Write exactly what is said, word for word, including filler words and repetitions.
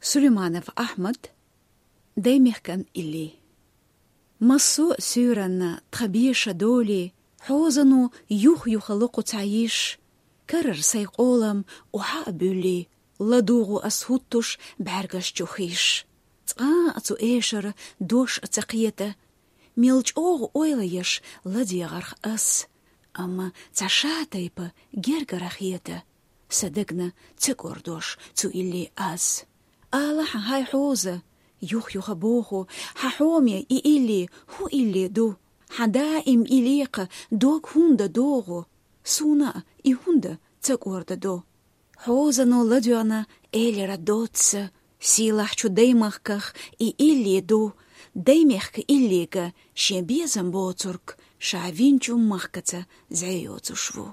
Сулейманов Ахьмад. Даймехкан илли. Массо а суьйранна тхан беша долий, хьозано юх-юха локху ца йиш, карара сайн къолам охьа а буьллий, ладугӀу ас хӀуттуш бӀаьргаш чу хиш. Цкъа а цу эшара дош а ца кхета, мел чӀогӀа ойла еш ладегӀарх ас, амма цхьа ша тайпа гергара хета, са дагна ца кӀордош цу илли аз. Ала хьан, хьай хьоза, юх-юха боху, хьан хьоме и илли хӀун илли ду? Хьан даим и лекха дог хӀунда догӀу? Суна а и хӀунда ца кӀордадо? Хьозано ладоьгӀна элира доцца, сийлахьчу даймахках и илли ду, даймехка иллига шен безам боцург ша винчу махкаца зӀе йоцуш ву.